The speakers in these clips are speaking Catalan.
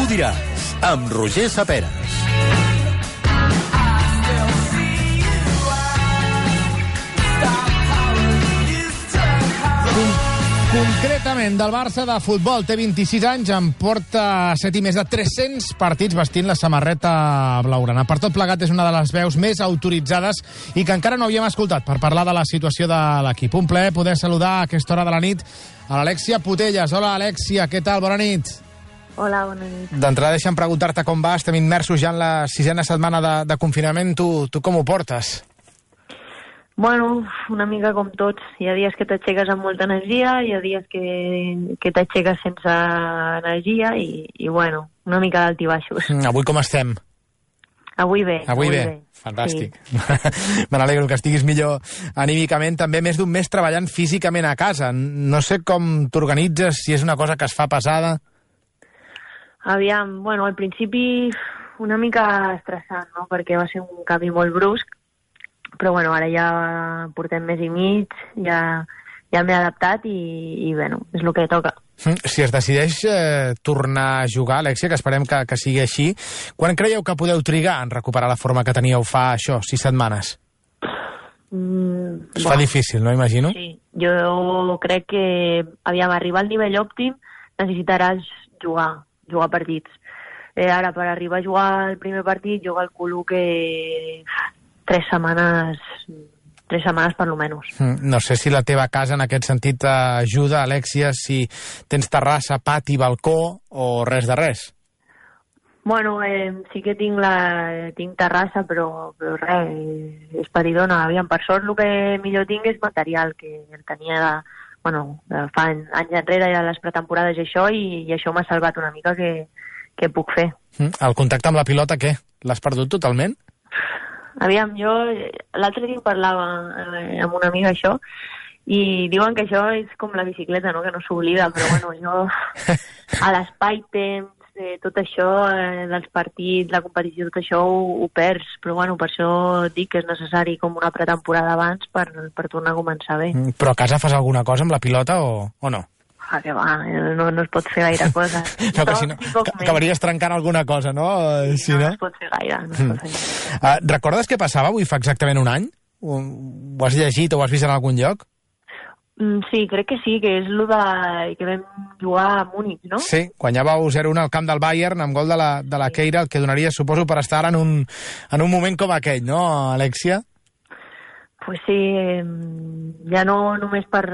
diràs, amb Roger Saperas. Concretament, del Barça de futbol, té 26 anys, en porta 7 i més de 300 partits vestint la samarreta blaugrana. Per tot plegat, és una de les veus més autoritzades i que encara no havíem escoltat per parlar de la situació de l'equip. Un plaer poder saludar a aquesta hora de la nit a l'Alèxia Putellas. Hola, Alèxia, què tal? Bona nit. Hola, bona nit. D'entrada, deixa'm preguntar-te com va. Estem immersos ja en la 6a setmana de confinament. Tu com ho portes? Bueno, una mica com tots. Hi ha dies que t'aixeques amb molta energia, hi ha dies que t'aixeques sense energia i bueno, una mica d'altibaixos. Avui com estem? Avui bé. Avui bé. Fantàstic. Sí. Me n'alegro que estiguis millor anímicament. També més d'un mes treballant físicament a casa. No sé com t'organitzes, si és una cosa que es fa pesada. Aviam, bueno, al principi una mica estressant, no?, perquè va ser un canvi molt brusc, però bueno, ara ja portem mes i mig, ja m'he adaptat i bueno, és el que toca. Si es decideix tornar a jugar, Alèxia, que esperem que sigui així, quan creieu que podeu trigar en recuperar la forma que teníeu fa 6 setmanes? Es fa difícil, no, imagino? Sí, jo crec que arribar al nivell òptim necessitaràs jugar partits. Ara, per arribar a jugar el primer partit, jo calculo que 3 setmanes per lo menys. No sé si la teva casa en aquest sentit t'ajuda, Alèxia, si tens terrassa, pati, balcó o res de res. Bueno, sí que tinc terrassa, però res, és petitona. Aviam, per sort el que millor tinc és material, que el tenia de fa anys enrere, de les pretemporades i això m'ha salvat una mica que puc fer. El contacte amb la pilota, què? L'has perdut totalment? Aviam, jo l'altre dia parlava amb una amiga això i diuen que això és com la bicicleta, no?, que no s'oblida, però bueno, jo a l'espai-temps, tot això, dels partits, la competició, tot això ho perds, però bueno, per això dic que és necessari com una pretemporada abans per tornar a començar bé. Però a casa fas alguna cosa amb la pilota o no? Que va, no es pot fer gaire cosa. No, que si no, acabaries trencant alguna cosa, no? Si no es pot fer gaire, no es pot fer gaire. Recordes què passava avui fa exactament un any? Ho has llegit o ho has vist en algun lloc? Sí, crec que sí, que és el que vam jugar a Múnich, no? Sí, guanyàveu 0-1 al camp del Bayern amb gol de la Keira, el que donaria, suposo, per estar en un moment com aquell, no, Alèxia? Pues sí, ja no només pel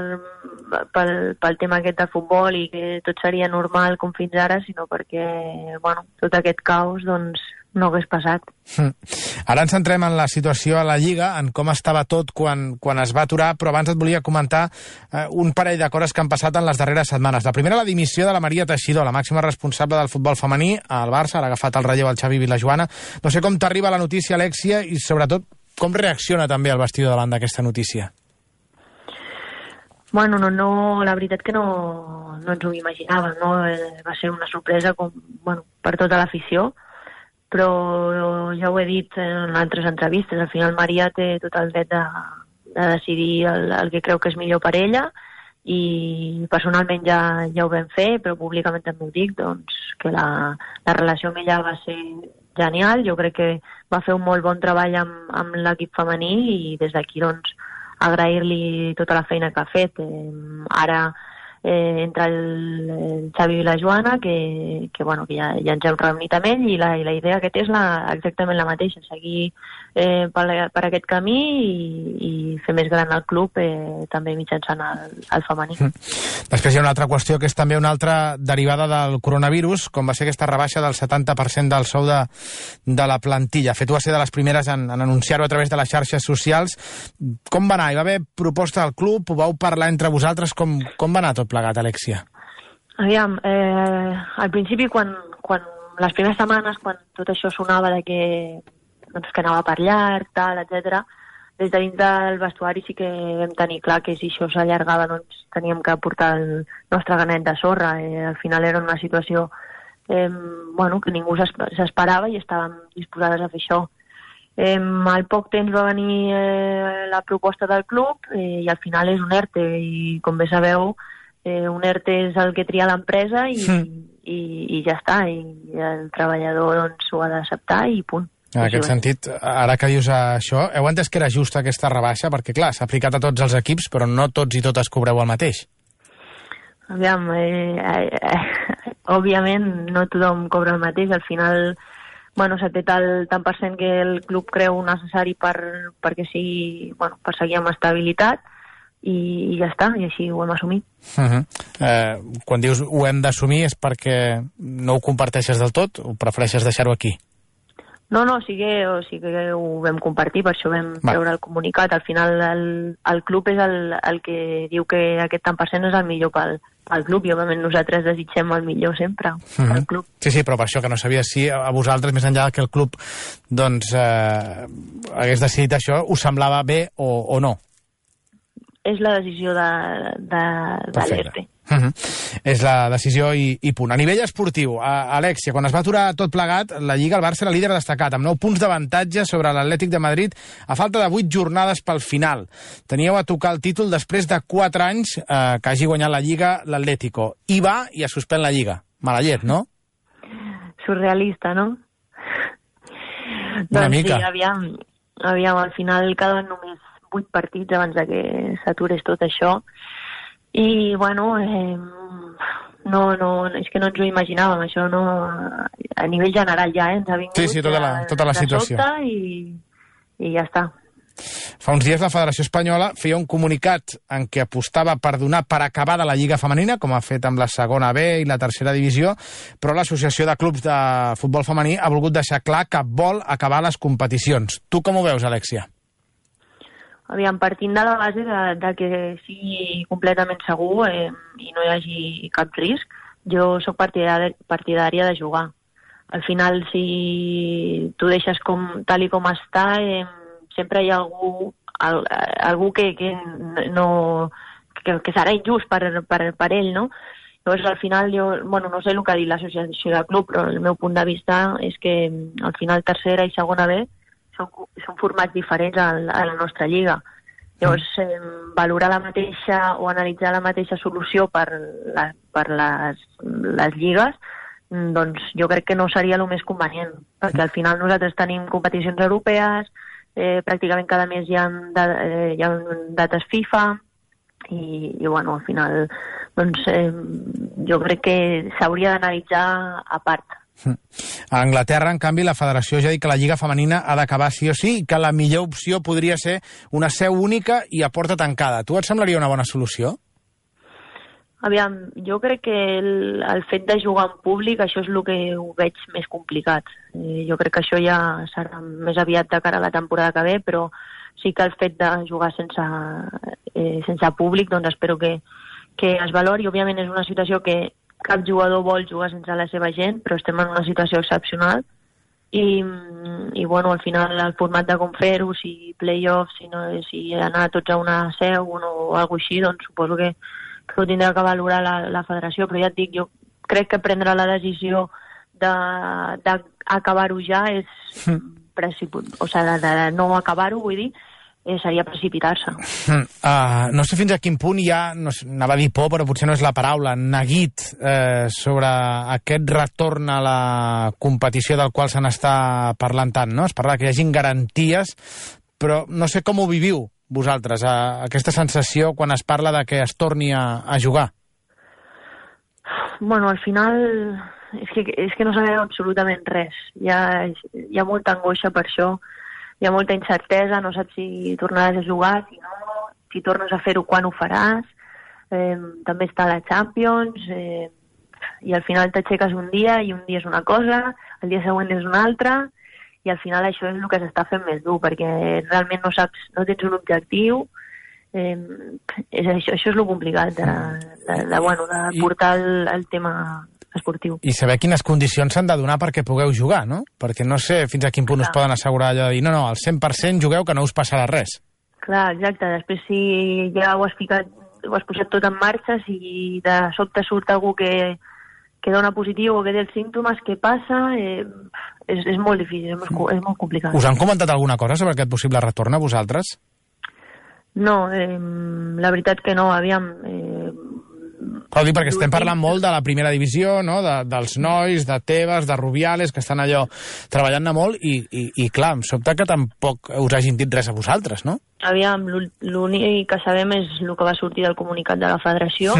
tema aquest de futbol i que tot seria normal com fins ara, sinó perquè, bueno, tot aquest caos, doncs, no hagués passat. Ara ens centrem en la situació a la Lliga, en com estava tot quan es va aturar, però abans et volia comentar un parell de coses que han passat en les darreres setmanes. La primera, la dimissió de la Maria Teixidor, la màxima responsable del futbol femení al Barça, ha agafat el relleu al Xavi Vilajoana. No sé com t'arriba la notícia, Alèxia, i sobretot com reacciona també el vestidor davant d'aquesta notícia? Bueno, no, la veritat que no ens ho imaginàvem, no? Va ser una sorpresa per tota l'afició, però ja ho he dit en altres entrevistes, al final Maria té tot el dret de decidir el que creu que és millor per ella i personalment ja ho vam fer, però públicament també ho dic, doncs, que la relació amb ella va ser genial. Jo crec que va fer un molt bon treball amb l'equip femení i des d'aquí, doncs, agrair-li tota la feina que ha fet. Ara entra el Xavi i la Joana, que ja ens hem reunit amb ell i la idea que té és exactament la mateixa, seguir per aquest camí i fer més gran el club també mitjançant el femení. Després hi ha una altra qüestió que és també una altra derivada del coronavirus, com va ser aquesta rebaixa del 70% del sou de la plantilla. De fet, tu vas ser de les primeres en anunciar-ho a través de les xarxes socials. Com va anar? Hi va haver proposta del club? Ho vau parlar entre vosaltres? Com va anar tot plegat, Alèxia? Aviam, al principi, quan les primeres setmanes, quan tot això sonava de que anava per llarg, tal, etc. Des de dins del vestuari sí que vam tenir clar que si això s'allargava, doncs teníem que portar el nostre granet de sorra. Al final era una situació que ningú s'esperava i estàvem disposades a fer això. Al poc temps va venir la proposta del club i al final és un ERTE i com bé sabeu un ERTE és el que tria l'empresa i ja està, i el treballador doncs, ho ha d'acceptar i punt. En aquest sentit, ara que dius això, heu entès que era justa aquesta rebaixa? Perquè, clar, s'ha aplicat a tots els equips, però no tots i totes cobreu el mateix. Aviam, òbviament no tothom cobra el mateix. Al final, bueno, s'ha tret el tant per cent que el club creu necessari perquè sigui, bueno, per seguir amb estabilitat, i ja està, i així ho hem assumit. Quan dius ho hem d'assumir és perquè no ho comparteixes del tot o prefereixes deixar-ho aquí? No, sí que ho vam compartir, per això vam treure el comunicat. Al final el club és el que diu que aquest tant per cent és el millor pel club, i òbviament nosaltres desitgem el millor sempre pel club. Sí, però per això que no sabia si a vosaltres, més enllà que el club doncs hagués decidit això, us semblava bé o no? És la decisió de l'ERTE. És la decisió i punt. A nivell esportiu, Alexia, quan es va aturar tot plegat, la Lliga, el Barça era líder destacat, amb 9 punts d'avantatge sobre l'Atlètic de Madrid, a falta de 8 jornades pel final. Teníeu a tocar el títol després de 4 anys que hagi guanyat la Lliga l'Atlético. I va i es suspèn la Lliga. Mala llet, no? Surrealista, no? Una mica. Sí, aviam, al final quedaven només 8 partits abans de que s'aturés tot això. I, bueno, és que no ens ho imaginàvem, això no, a nivell general ja, ens ha vingut tota la situació. I ja està. Fa uns dies la Federació Espanyola feia un comunicat en què apostava per donar per acabada la Lliga Femenina, com ha fet amb la segona B i la tercera divisió, però l'Associació de Clubs de Futbol Femení ha volgut deixar clar que vol acabar les competicions. Tu com ho veus, Alexia? Aviam, partint de la base de que sigui completament segur i no hi hagi cap risc, jo sóc partidària de jugar. Al final, si tu deixes tal i com està, sempre hi ha algú que serà injust per ell, no? Llavors, al final, no sé el que ha dit l'associació de club, però el meu punt de vista és que al final tercera i segona B són formats diferents a la nostra lliga. Llavors, valorar la mateixa o analitzar la mateixa solució per les lligues, doncs jo crec que no seria el més convenient, perquè al final nosaltres tenim competicions europees, pràcticament cada mes hi ha dates FIFA, i bueno, al final doncs jo crec que s'hauria d'analitzar a part. A Anglaterra, en canvi, la federació ja ha dit que la Lliga Femenina ha d'acabar sí o sí i que la millor opció podria ser una seu única i a porta tancada. Tu et semblaria una bona solució? Aviam, jo crec que el fet de jugar en públic, això és el que ho veig més complicat. Jo crec que això ja serà més aviat de cara a la temporada que ve, però sí que el fet de jugar sense públic, doncs espero que es valori. Òbviament és una situació que cap jugador vol jugar sense la seva gent, però estem en una situació excepcional i bueno, al final el format de com fer-ho, si play-offs, si anar tots a una seu o alguna cosa així, doncs suposo que ho tindrà que valorar la federació, però ja et dic, jo crec que prendre la decisió d'acabar-ho ja és o sigui, de no acabar-ho, vull dir, seria precipitar-se. No sé fins a quin punt hi ha, anava a dir por, però potser no és la paraula, neguit sobre aquest retorn a la competició del qual se n'està parlant tant, no? Es parla que hi hagin garanties, però no sé com ho viviu vosaltres, aquesta sensació quan es parla de que es torni a jugar. Bueno, al final és que no sabem absolutament res. Hi ha molta angoixa per això. Hi ha molta incertesa, no saps si tornaràs a jugar, si no, si tornes a fer-ho, quan ho faràs. També està la Champions, i al final t'aixeques un dia i un dia és una cosa, el dia següent és una altra, i al final això és el que s'està fent més dur, perquè realment no saps, no tens un objectiu. Això és el complicat de portar el tema esportiu. I saber quines condicions s'han de donar perquè pugueu jugar, no? Perquè no sé fins a quin punt us poden assegurar allò de dir no, al 100% jugueu que no us passarà res. Clar, exacte. Després si ja ho has posat tot en marxa, si de sobte surt algú que dona positiu o que té els símptomes, què passa? És molt difícil, és molt complicat. Us han comentat alguna cosa sobre aquest possible retorn a vosaltres? No, la veritat que no. Aviam, Però dic perquè estem parlant molt de la primera divisió, no? Dels nois, de Tebas, de Rubiales, que estan allò treballant-ne molt i clar, em sobta que tampoc us hagin dit res a vosaltres, no? Aviam, l'únic que sabem és el que va sortir del comunicat de la federació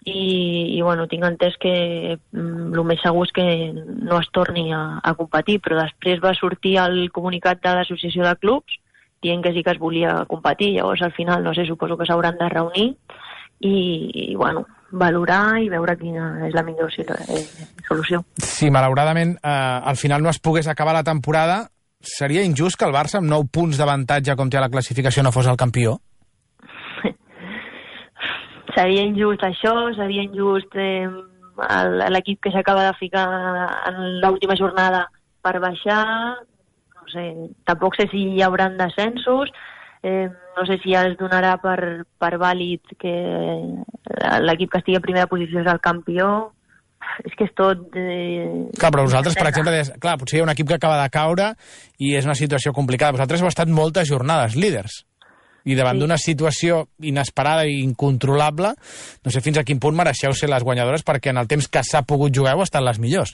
i bueno, tinc entès que el més segur és que no es torni a competir, però després va sortir el comunicat de l'associació de clubs dient que sí que es volia competir. Llavors, al final, no sé, suposo que s'hauran de reunir i bueno, valorar i veure quina és la millor solució. Si malauradament al final no es pogués acabar la temporada, seria injust que el Barça amb 9 punts d'avantatge com té a la classificació no fos el campió? Seria injust això, seria injust l'equip que s'acaba de ficar en l'última jornada per baixar. No sé, tampoc sé si hi haurà descensos, no sé si ja es donarà per vàlid que l'equip que estigui a primera posició és el campió. És que és tot... Clar, però vosaltres, per exemple, clar, potser hi ha un equip que acaba de caure i és una situació complicada. Vosaltres heu estat moltes jornades líders i davant d'una situació inesperada i incontrolable, no sé fins a quin punt mereixeu ser les guanyadores perquè en el temps que s'ha pogut jugar heu estat les millors.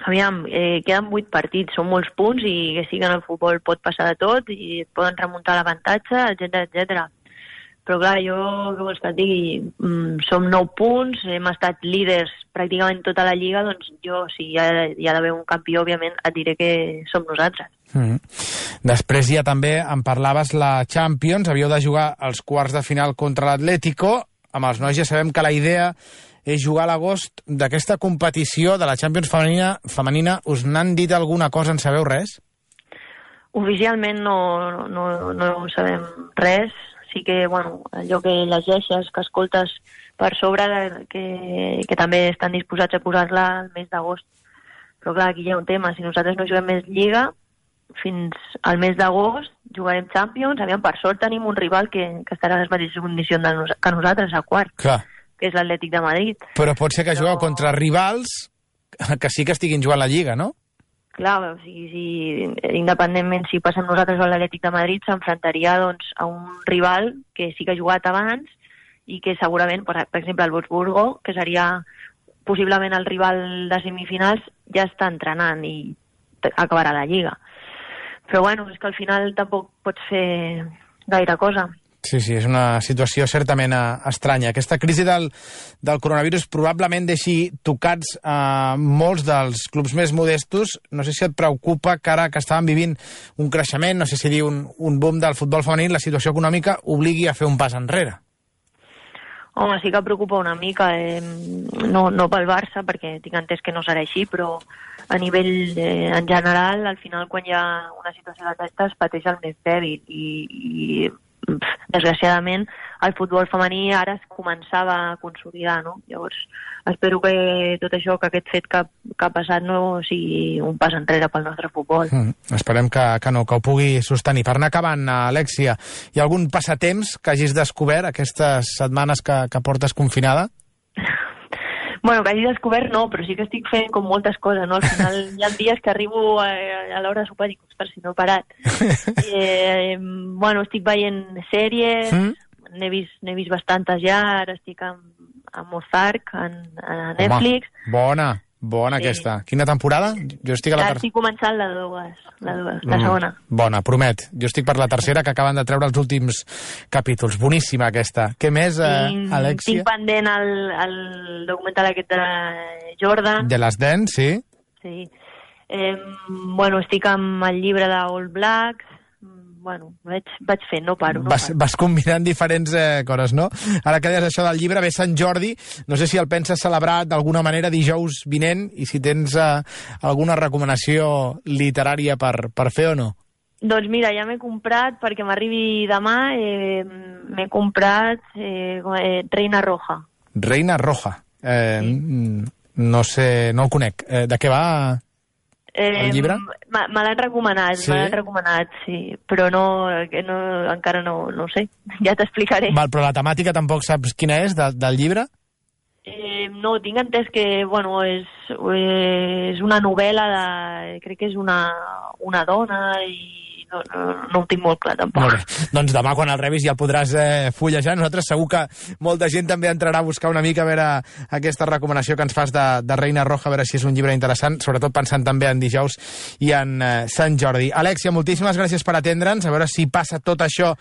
Aviam, queden 8 partits, són molts punts i que sí que en el futbol pot passar de tot i et poden remuntar l'avantatge, etc. Però clar, jo, què vols que et digui, som 9 punts, hem estat líders pràcticament tota la lliga, doncs jo, si hi ha d'haver un campió, òbviament, et diré que som nosaltres. Després ja també em parlaves la Champions, havíeu de jugar els quarts de final contra l'Atlético, amb els nois ja sabem que la idea és jugar a l'agost d'aquesta competició de la Champions femenina. Us n'han dit alguna cosa, en sabeu res? Oficialment no sabem res. Sí que, bueno, allò que llegeixes, que escoltes per sobre, que també estan disposats a posar-la al mes d'agost. Però clar, aquí hi ha un tema. Si nosaltres no juguem més Lliga, fins al mes d'agost jugarem Champions. Aviam, per sort tenim un rival que estarà a les mateixes condicions que nosaltres, a quart. Clar. Que és l'Atlètic de Madrid. Però pot ser que jugueu contra rivals que sí que estiguin jugant la Lliga, no? Clar, o sigui, independentment si passem nosaltres o l'Atlètic de Madrid, s'enfrontaria doncs, a un rival que sí que ha jugat abans i que segurament, per exemple, el Wolfsburgo, que seria possiblement el rival de semifinals, ja està entrenant i acabarà la Lliga. Però bueno, és que al final tampoc pots fer gaire cosa. Sí, és una situació certament estranya. Aquesta crisi del coronavirus probablement deixi tocats molts dels clubs més modestos. No sé si et preocupa que ara que estàvem vivint un creixement, no sé si dir un boom del futbol femení, la situació econòmica obligui a fer un pas enrere. Home, sí que preocupa una mica, no pel Barça, perquè tinc entès que no serà així, però a nivell en general, al final, quan hi ha una situació d'aquesta, es pateix el més dèbil i desgraciadament el futbol femení ara es començava a consolidar, no? Llavors espero que tot això, que aquest fet que ha passat no sigui un pas enrere pel nostre futbol. Esperem que no, que ho pugui sostenir. Per anar acabant, Alexia, hi ha algun passatemps que hagis descobert aquestes setmanes que portes confinada? Bueno, que hagi descobert no, però sí que estic fent com moltes coses, no? Al final hi ha dies que arribo a l'hora de sopar i dic, ostres, si no he parat. Bueno, estic veient sèries, n'he vist bastantes ja, ara estic amb Ozark, a Netflix. Home, bona aquesta. Quina temporada? Jo estic a la tercera. Estic començant la segona. Bona, promet. Jo estic per la tercera, que acaben de treure els últims capítols. Boníssima aquesta. Què més, Alexia? Tinc pendent el documental aquest de Jordan. De les Dents, sí. Sí. Bueno, estic amb el llibre de All Blacks. Bueno, vaig fent, no paro. Vas combinant diferents coses, no? Ara que deies això del llibre, ve Sant Jordi, no sé si el penses celebrar d'alguna manera dijous vinent i si tens alguna recomanació literària per fer o no. Doncs mira, ja m'he comprat, perquè m'arribi demà, m'he comprat Reina Roja. Reina Roja. No sé, no el conec. De què va el llibre? Me l'han recomanat, sí? Sí, però encara no ho sé, ja t'explicaré. Val, però la temàtica tampoc saps quina és del llibre? No, tinc entès que, bueno, és una novel·la crec que és una dona i no ho tinc molt clar, tampoc. Molt bé. Doncs demà, quan el rebis, ja el podràs fullejar. Nosaltres segur que molta gent també entrarà a buscar una mica a veure aquesta recomanació que ens fas de Reina Roja, a veure si és un llibre interessant, sobretot pensant també en dijous i en Sant Jordi. Alèxia, moltíssimes gràcies per atendre'ns, a veure si passa tot això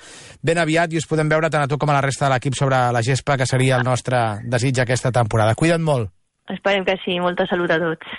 ben aviat i us podem veure tant a tu com a la resta de l'equip sobre la gespa, que seria el nostre desig aquesta temporada. Cuida't molt. Esperem que sí. Molta salut a tots.